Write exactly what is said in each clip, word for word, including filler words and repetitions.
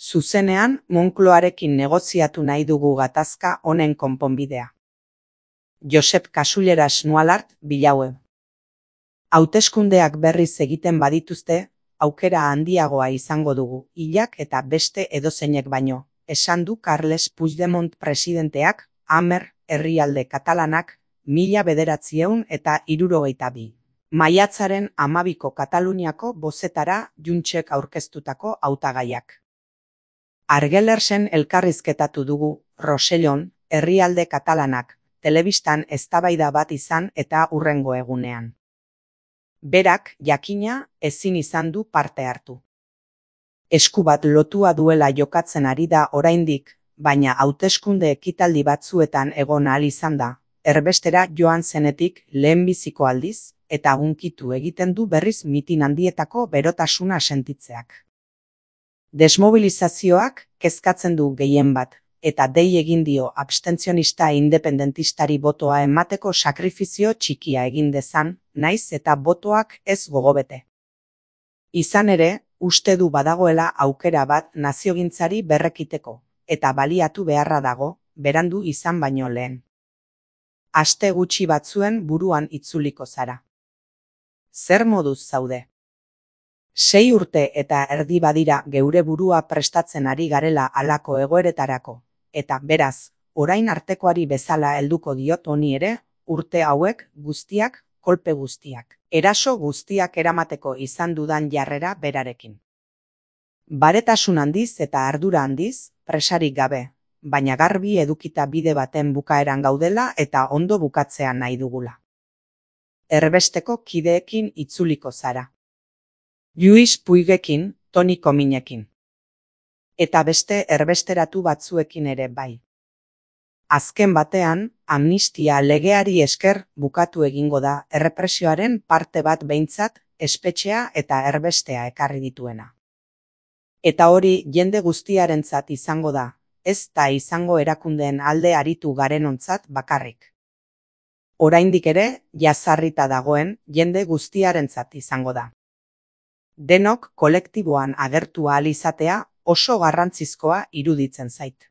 Zuzenean, Moncloarekin negoziatu nahi dugu gatazka honen konponbidea. Josep Kasuleras Nualart, Bilaueb. Hauteskundeak berriz egiten badituzte, aukera handiagoa izango dugu, hilak eta beste edozeinek baino, esan du Carles Puigdemont presidenteak, Amer, herrialde katalanak, mila bederatziehun eta hirurogeita bi. Maiatzaren hamabiko Kataluniako bozetara Juntsek aurkeztutako hautagaiak. Argelersen elkarrizketatu dugu, Rosellon, herrialde katalanak, telebistan eztabaida bat izan eta hurrengo egunean. Berak, jakina, ezin izan du parte hartu. Esku bat lotua duela jokatzen ari da oraindik, baina hauteskunde ekitaldi batzuetan egon ahal izan da, erbestera joan zenetik lehenbiziko aldiz, eta hunkitu egiten du berriz mitin handietako berotasuna sentitzeak. Desmobilizazioak kezkatzen du gehien bat, eta dei egin dio abstentzionista independentistari botoa emateko sakrifizio txikia egin dezan, naiz eta botoak ez gogobete. Izan ere, uste du badagoela aukera bat naziogintzari berrekiteko, eta baliatu beharra dago, berandu izan baino lehen. Aste gutxi batzuen buruan itzuliko zara. Zer moduz zaude? Sei urte eta erdi badira geure burua prestatzen ari garela halako egoeretarako, eta beraz, orain artekoari bezala helduko diot honi ere, urte hauek guztiak, kolpe guztiak, eraso guztiak eramateko izan dudan jarrera berarekin. Baretasun handiz eta ardura handiz, presarik gabe, baina garbi edukita bide baten bukaeran gaudela eta ondo bukatzea nahi dugula. Erbesteko kideekin itzuliko zara. Luis Puigekin, Toni Kominekin. Eta beste erbesteratu batzuekin ere bai. Azken batean, amnistia legeari esker bukatu egingo da errepresioaren parte bat behintzat, espetxea eta erbestea ekarri dituena. Eta hori jende guztiarentzat izango da, ez da izango erakundeen alde aritu garenontzat bakarrik. Oraindik ere, jazarrita dagoen jende guztiarentzat izango da. Denok kolektiboan agertu ahal izatea oso garrantzizkoa iruditzen zait.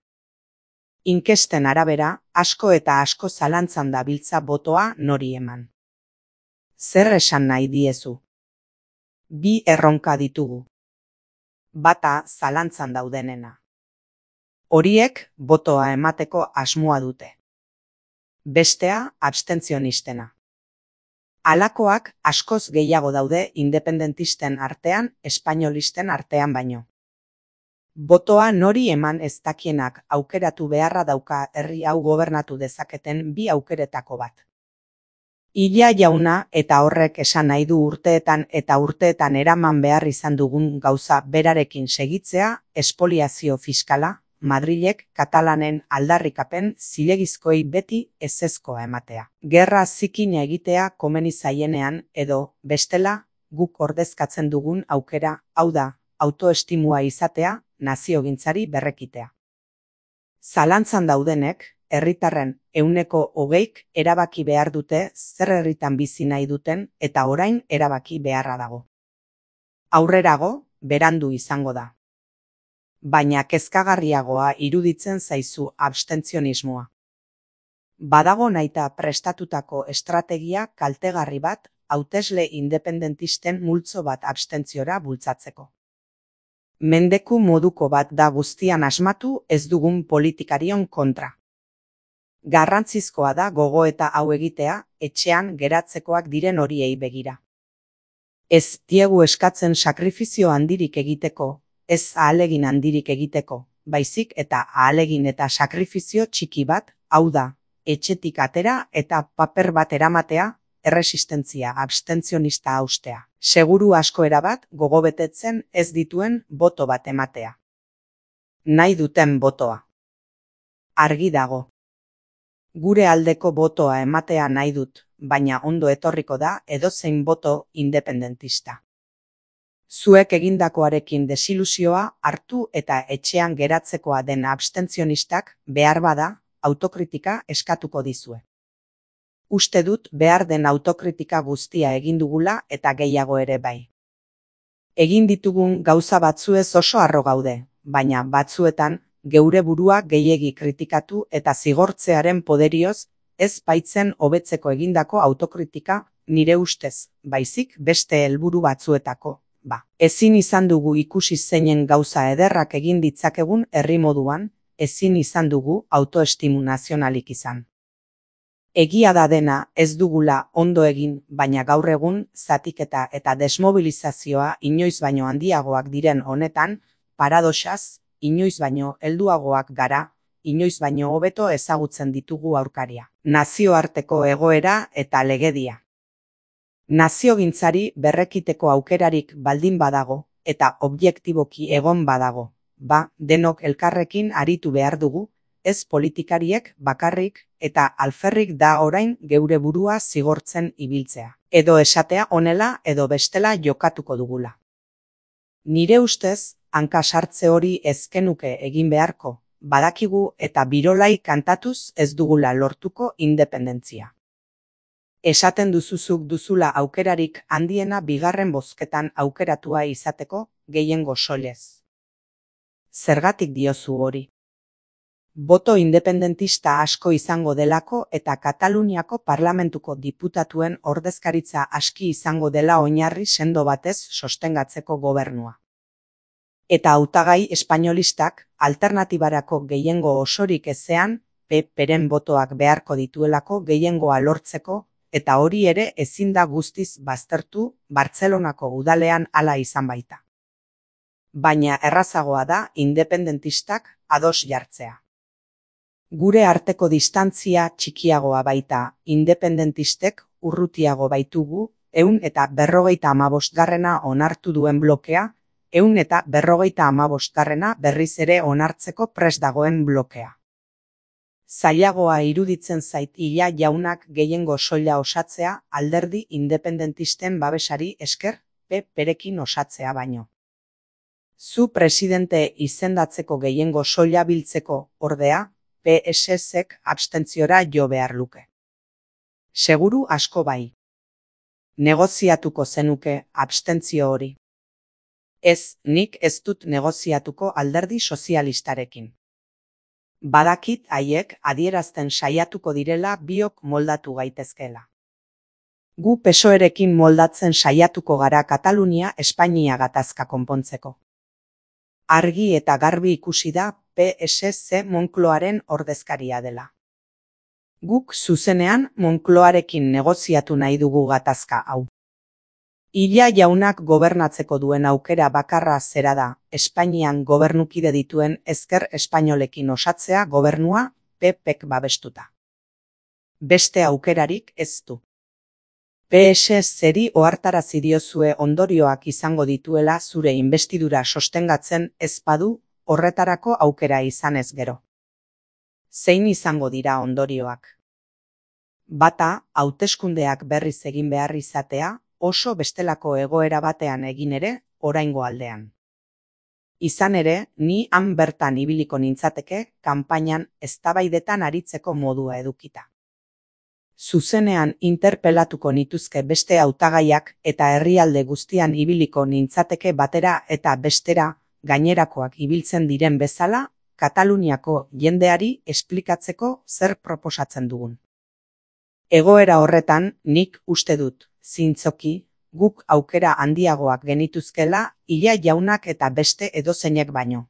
Inkesten arabera, asko eta asko zalantzan dabiltza botoa nori eman. Zer esan nahi diezu? Bi erronka ditugu. Bata zalantzan daudenena. Horiek botoa emateko asmoa dute. Bestea abstentzionistena. Halakoak askoz gehiago daude independentisten artean, espainolisten artean baino. Botoa nori eman ez dakienak aukeratu beharra dauka herri hau gobernatu dezaketen bi aukeretako bat. Illa jauna eta horrek esan nahi du urteetan eta urteetan eraman behar izan dugun gauza berarekin segitzea, espoliazio fiskala, Madrilek katalanen aldarrikapen zilegizkoei beti ezezkoa ematea. Gerra zikina egitea komeni zaienean edo, bestela, guk ordezkatzen dugun aukera, hau da, autoestimua izatea, naziogintzari berrekitea. Zalantzan daudenek, herritarren ehuneko hogeik erabaki behar dute zer herritan bizi nahi duten eta orain erabaki beharra dago. Aurrerago, berandu izango da. Baina kezkagarriagoa iruditzen zaizu abstentzionismoa. Badago nahita prestatutako estrategia kaltegarri bat hautesle independentisten multzo bat abstentziora bultzatzeko. Mendeku moduko bat da guztian asmatu ez dugun politikarion kontra. Garrantzizkoa da gogoeta hau egitea etxean geratzekoak diren horiei begira. Ez diegu eskatzen sakrifizio handirik egiteko, ez ahalegin handirik egiteko, baizik eta ahalegin eta sakrifizio txiki bat, hau da, etxetik atera eta paper bat eramatea, erresistentzia abstentzionista haustea. Seguru asko erabat gogobetetzen ez dituen boto bat ematea. Nahi duten botoa. Argi dago. Gure aldeko botoa ematea nahi dut, baina ondo etorriko da edozein boto independentista. Zuek egindakoarekin desilusioa hartu eta etxean geratzekoa den abstentzionistak behar bada autokritika eskatuko dizue. Uste dut behar den autokritika guztia egin dugula eta gehiago ere bai. Egin ditugun gauza batzuez oso harro gaude, baina batzuetan geure burua gehiegi kritikatu eta zigortzearen poderioz ez baitzen hobetzeko egindako autokritika nire ustez, baizik beste helburu batzuetako. Ba, ezin izan dugu ikusi zeinen gauza ederrak egin ditzakegun herri moduan, ezin izan dugu autoestimu nazionalik izan. Egia da dena ez dugula ondo egin, baina gaur egun zatiketa eta desmobilizazioa inoiz baino handiagoak diren honetan, paradoxaz, inoiz baino helduagoak gara, inoiz baino hobeto ezagutzen ditugu aurkaria. Nazioarteko egoera eta legedia. Naziogintzari berrekiteko aukerarik baldin badago eta objektiboki egon badago, ba, denok elkarrekin aritu behar dugu, ez politikariek bakarrik eta alferrik da orain geure burua zigortzen ibiltzea. Edo esatea honela edo bestela jokatuko dugula. Nire ustez, hanka sartze hori ezkenuke egin beharko, badakigu eta birolai kantatuz ez dugula lortuko independentzia. Esaten duzuzuk duzula aukerarik handiena bigarren bozketan aukeratua izateko gehiengo soilez. Zergatik diozu hori? Boto independentista asko izango delako eta Kataluniako parlamentuko diputatuen ordezkaritza aski izango dela oinarri sendo batez sostengatzeko gobernua. Eta hautagai espainolistak alternatibarako gehiengo osorik ezean P Pren botoak beharko dituelako gehiengoa lortzeko, eta hori ere ezin da guztiz baztertu Bartzelonako udalean hala izan baita. Baina errazagoa da independentistak ados jartzea. Gure arteko distantzia txikiagoa baita, independentistek urrutiago baitugu, ehun eta berrogeita hamabosgarrena onartu duen blokea, ehun eta berrogeita hamabosgarrena berriz ere onartzeko prest dagoen blokea. Zailagoa iruditzen zait Illa jaunak gehiengo soila osatzea alderdi independentisten babesari esker P Perekin osatzea baino. Zu presidente izendatzeko gehiengo soila biltzeko, ordea, P S Zek abstentziora jo behar luke. Seguru asko bai. Negoziatuko zenuke abstentzio hori. Ez, nik ez dut negoziatuko alderdi sozialistarekin. Badakit haiek adierazten saiatuko direla biok moldatu gaitezkeela. Gu P S O Erekin moldatzen saiatuko gara Katalunia Espainia gatazka konpontzeko. Argi eta garbi ikusi da P S Z Moncloaren ordezkaria dela. Guk zuzenean Moncloarekin negoziatu nahi dugu gatazka hau. Illa jaunak gobernatzeko duen aukera bakarra zera da, Espainian gobernukide dituen ezker espainolekin osatzea gobernua P Pek babestuta. Beste aukerarik ez du. P S Zeri ohartarazi diozue ondorioak izango dituela zure inbestidura sostengatzen ez badu horretarako aukera izanez gero. Zein izango dira ondorioak? Bata, hauteskundeak berriz egin behar izatea, oso bestelako egoera batean egin ere, oraingo aldean. Izan ere, ni han bertan ibiliko nintzateke, kanpainan eztabaidetan aritzeko modua edukita. Zuzenean interpelatuko nituzke beste hautagaiak eta herrialde guztian ibiliko nintzateke batera eta bestera, gainerakoak ibiltzen diren bezala, Kataluniako jendeari esplikatzeko zer proposatzen dugun. Egoera horretan, nik uste dut, zintzoki, guk aukera handiagoak genituzkela Illa jaunak eta beste edozeinek baino.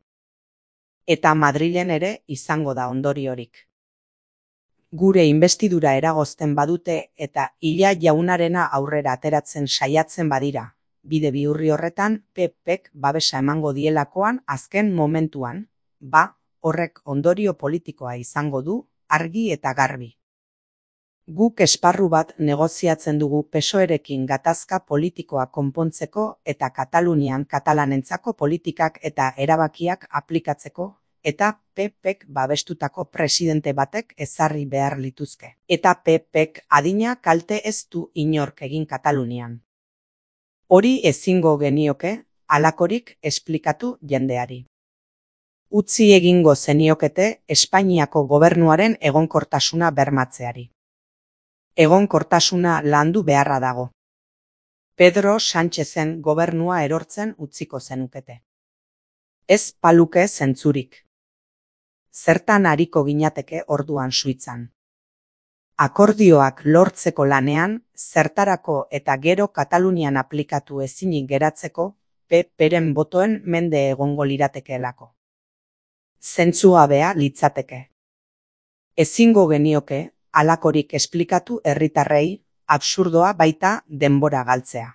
Eta Madrilen ere izango da ondoriorik. Gure inbestidura eragozten badute eta Illa jaunarena aurrera ateratzen saiatzen badira, bide bihurri horretan P Pek babesa emango dielakoan azken momentuan, ba, horrek ondorio politikoa izango du, argi eta garbi. Guk esparru bat negoziatzen dugu P S O Erekin gatazka politikoa konpontzeko eta Katalunian katalanentzako politikak eta erabakiak aplikatzeko, eta P Pek babestutako presidente batek ezarri behar lituzke. Eta P Pek adina kalte ez du inork egin Katalunian. Hori ezingo genioke, halakorik esplikatu jendeari. Utzi egingo zeniokete Espainiako gobernuaren egonkortasuna bermatzeari. Egonkortasuna landu beharra dago. Pedro Sánchezen gobernua erortzen utziko zenukete. Ez paluke zentzurik. Zertan ariko ginateke orduan Suitzan. Akordioak lortzeko lanean, zertarako eta gero Katalunian aplikatu ezinik geratzeko, P Pren botoen mende egongo liratekeelako. Zentzugabea litzateke. Ezingo genioke, halakorik esplikatu herritarrei, absurdoa baita denbora galtzea.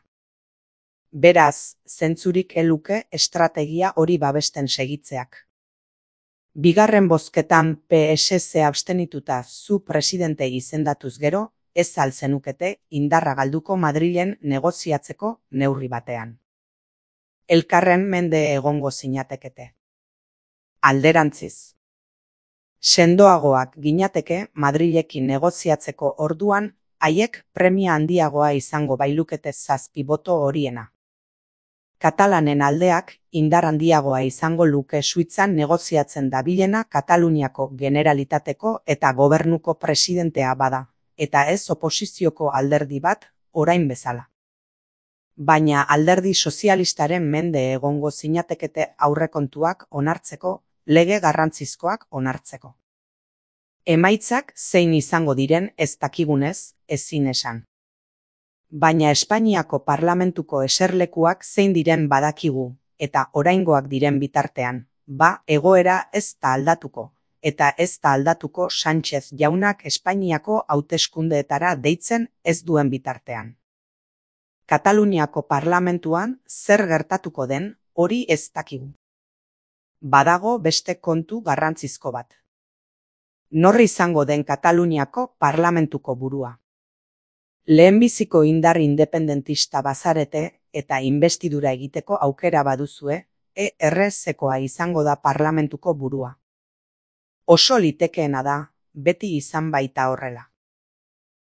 Beraz, zentzurik eluke estrategia hori babesten segitzeak. Bigarren bozketan P S Z abstenituta zu presidente izendatuz gero, ez al zenukete indarra galduko Madrilen negoziatzeko neurri batean. Elkarren mende egongo zinatekete. Alderantziz. Sendoagoak ginateke Madrilekin negoziatzeko orduan, haiek premia handiagoa izango bailukete zazpi boto horiena. Katalanen aldeak indar handiagoa izango luke Suitzan negoziatzen dabilena Kataluniako Generalitateko eta gobernuko presidentea bada, eta ez oposizioko alderdi bat, orain bezala. Baina alderdi sozialistaren mende egongo zinatekete aurrekontuak onartzeko, lege garrantzizkoak onartzeko. Emaitzak zein izango diren ez dakigunez, ezin esan. Baina Espainiako parlamentuko eserlekuak zein diren badakigu, eta oraingoak diren bitartean, ba egoera ez da aldatuko, eta ez da aldatuko Sánchez jaunak Espainiako hauteskundeetara deitzen ez duen bitartean. Kataluniako parlamentuan zer gertatuko den hori ez dakigu. Badago beste kontu garrantzizko bat. Nor izango den Kataluniako parlamentuko burua. Lehenbiziko indar independentista bazarete eta inbestidura egiteko aukera baduzue, E R Z-koa izango da parlamentuko burua. Oso litekeena da, beti izan baita horrela.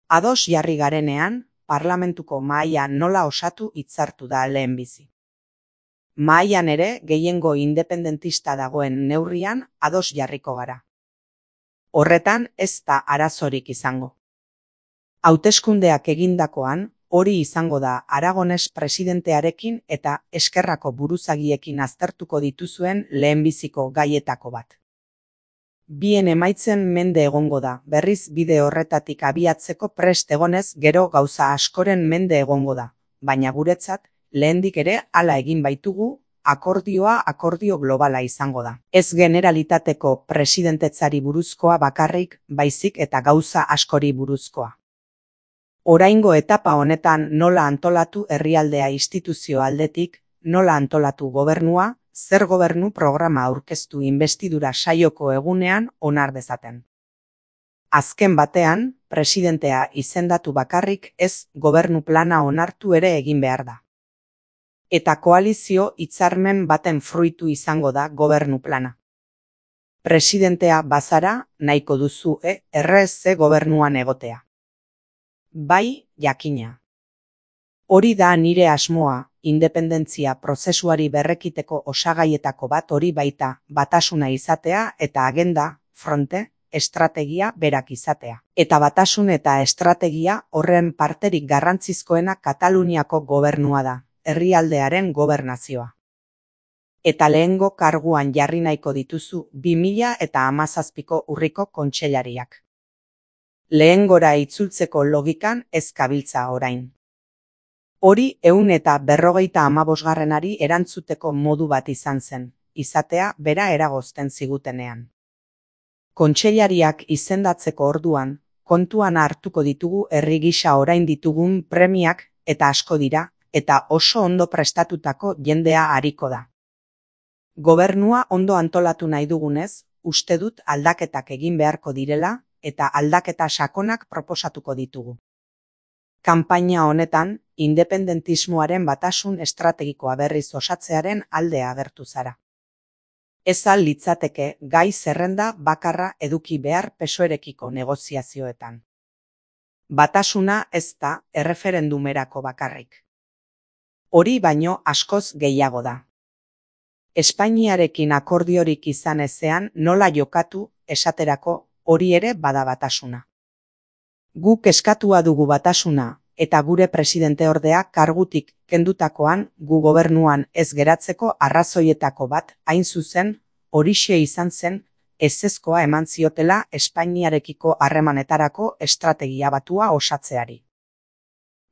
Ados jarri garenean, parlamentuko mahaia nola osatu hitzartu da lehenbizi. Mahaian ere gehiengo independentista dagoen neurrian ados jarriko gara. Horretan ez da arazorik izango. Hauteskundeak egindakoan, hori izango da Aragones presidentearekin eta eskerrako buruzagiekin aztertuko dituzuen lehenbiziko gaietako bat. Bien emaitzen mende egongo da, berriz bide horretatik abiatzeko prest egonez gero gauza askoren mende egongo da, baina guretzat, lehendik ere hala egin baitugu, akordioa akordio globala izango da. Ez generalitateko presidentetzari buruzkoa bakarrik, baizik eta gauza askori buruzkoa. Oraingo etapa honetan nola antolatu herrialdea instituzio aldetik, nola antolatu gobernua, zer gobernu programa aurkeztu inbestidura saioko egunean onar dezaten. Azken batean, presidentea izendatu bakarrik ez gobernu plana onartu ere egin behar da. Eta koalizio hitzarmen baten fruitu izango da gobernu plana. Presidentea bazara nahiko duzu E R Z gobernuan egotea. Bai, jakina. Hori da nire asmoa, independentzia prozesuari berrekiteko osagaietako bat hori baita, batasuna izatea eta agenda, fronte, estrategia berak izatea. Eta batasun eta estrategia horren parterik garrantzizkoena Kataluniako gobernua da, herrialdearen gobernazioa. Eta lehengo karguan jarri nahiko dituzu bi mila eta hamazazpiko urriko kontseilariak. Lehengora itzultzeko logikan ez kabiltza orain. Hori ehun eta berrogeita hamabosgarrenari erantzuteko modu bat izan zen, izatea bera eragozten zigutenean. Kontseilariak izendatzeko orduan, kontuan hartuko ditugu herri gisa orain ditugun premiak eta asko dira, eta oso ondo prestatutako jendea ariko da. Gobernua ondo antolatu nahi dugunez, uste dut aldaketak egin beharko direla, eta aldaketa sakonak proposatuko ditugu. Kanpaina honetan, independentismoaren batasun estrategikoa berriz osatzearen alde agertu zara. Ez al litzateke gai zerrenda bakarra eduki behar P S O E-rekiko negoziazioetan. Batasuna ez da erreferendumerako bakarrik. Hori baino askoz gehiago da. Espainiarekin akordiorik izan ezean nola jokatu esaterako hori ere bada batasuna. Guk eskatua dugu batasuna, eta gure presidenteordea kargutik kendutakoan gu gobernuan ez geratzeko arrazoietako bat hain zuzen horixe izan zen ezezkoa eman ziotela Espainiarekiko harremanetarako estrategia batua osatzeari.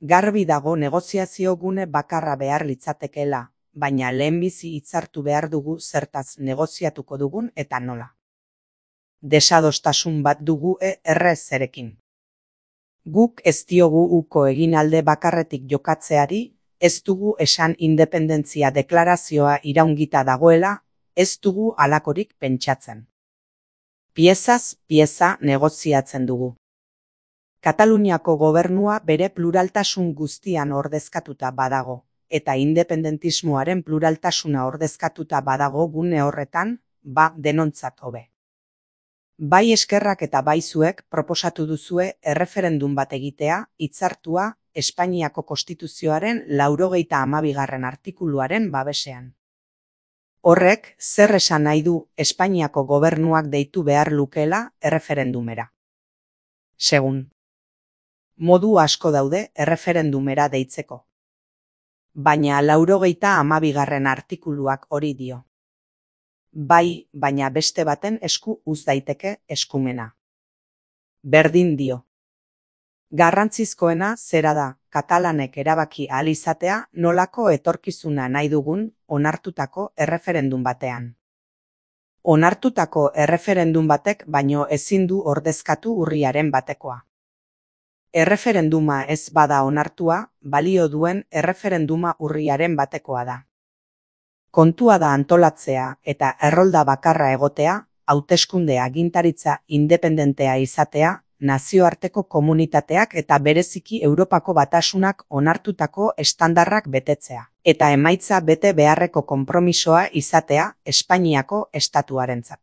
Garbi dago negoziazio gune bakarra behar litzatekeela, baina lehenbizi hitzartu behar dugu zertaz negoziatuko dugun eta nola. Desadostasun bat dugu errezerekin. Guk ez diogu uko egin alde bakarretik jokatzeari, ez dugu esan independentzia deklarazioa iraungita dagoela, ez dugu halakorik pentsatzen. Piezaz pieza negoziatzen dugu. Kataluniako gobernua bere pluraltasun guztian ordezkatuta badago, eta independentismoaren pluraltasuna ordezkatuta badago gune horretan, ba denontzat hobe. Bai eskerrak eta bai zuek proposatu duzue erreferendum bat egitea hitzartua Espainiako Konstituzioaren laurogeita hamabigarren artikuluaren babesean. Horrek zer esan nahi du Espainiako gobernuak deitu behar lukeela erreferendumera. Segun. Modu asko daude erreferendumera deitzeko. Baina laurogeita hamabigarren artikuluak hori dio. Bai, baina beste baten esku uz daiteke eskumena. Berdin dio. Garrantzizkoena zera da, katalanek erabaki ahal izatea nolako etorkizuna nahi dugun onartutako erreferendum batean. Onartutako erreferendum batek baino ezin du ordezkatu urriaren batekoa. Erreferenduma ez bada onartua, balio duen erreferenduma urriaren batekoa da. Kontua da antolatzea eta errolda bakarra egotea, hauteskunde agintaritza independentea izatea, nazioarteko komunitateak eta bereziki Europako Batasunak onartutako estandarrak betetzea, eta emaitza bete beharreko konpromisoa izatea Espainiako estatuarentzat.